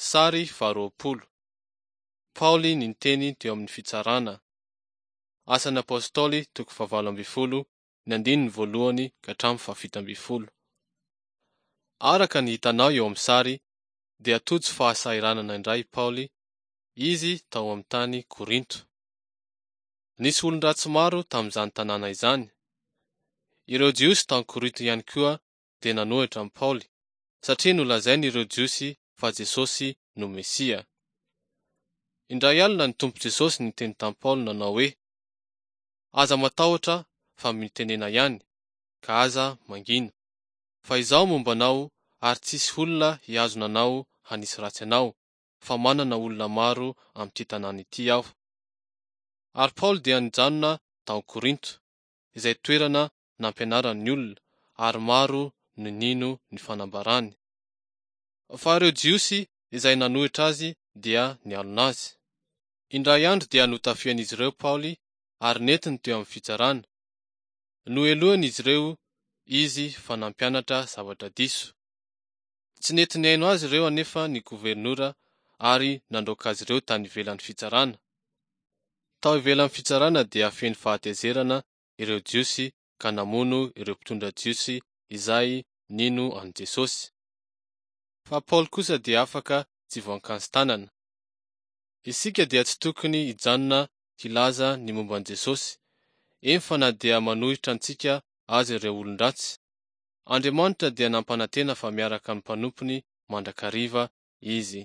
Sary faharoapolo. Paoly niteny teo amin'ny fitsarana. Asan'ny Apostoly toko fahavalo ambin'ny folo, ny andininy voalohany ka hatramin'ny fahafito ambin'ny folo. Araka ny hitanao eo amin'ny sary dia tojo fahasahiranana indray i Paoly, izy tao amin'ny tany Korinto. Nisy olon-dratsy maro tamin'izany tanàna izany. Ireo Jiosy tao Korinto ihany koa dia nanohitra an'i Paoly, satria nolazain'ireo Jiosy fa Jesosy no Mesia. Indray alina ny Tompo Jesosy niteny tamin'i Paoly nanao hoe, Aza matahotra fa mitenena ihany, ka aza mangina, fa Izaho momba anao ary tsy hisy olona hihazona anao hanisy ratsy anao, fa manana olona maro amin'ity tanàna ity aho. Ary Paoly dia nijanona tao Korinto, izay toerana nampianarany ny olona, ary maro no nino ny fanambarany. Fa ireo Jiosy izay nanohitra azy dia nialona azy. Indray andro dia notafihan'izy ireo Paoly ary nentiny teo amin'ny fitsarana. Nohelohin'izy ireo izy fa nampianatra zavatra diso. Tsy nety nihaino azy ireo anefa ny governora ary nandroaka azy ireo tany ivelan'ny fitsarana. Tao ivelan'ny fitsarana dia feno fahatezerana ireo Jiosy ka namono ireo mpitondra Jiosy izay nino an'i Jesosy. Fa Paoly kosa dia afaka tsy voankansi-tanana. Isika dia tsy tokony hijanona hilaza ny momba an'i Jesosy, eny fa na dia manohitra antsika aza ireo olon-dratsy. Andriamanitra dia nampanantena fa miaraka amin'ny mpanompony mandrakariva Izy.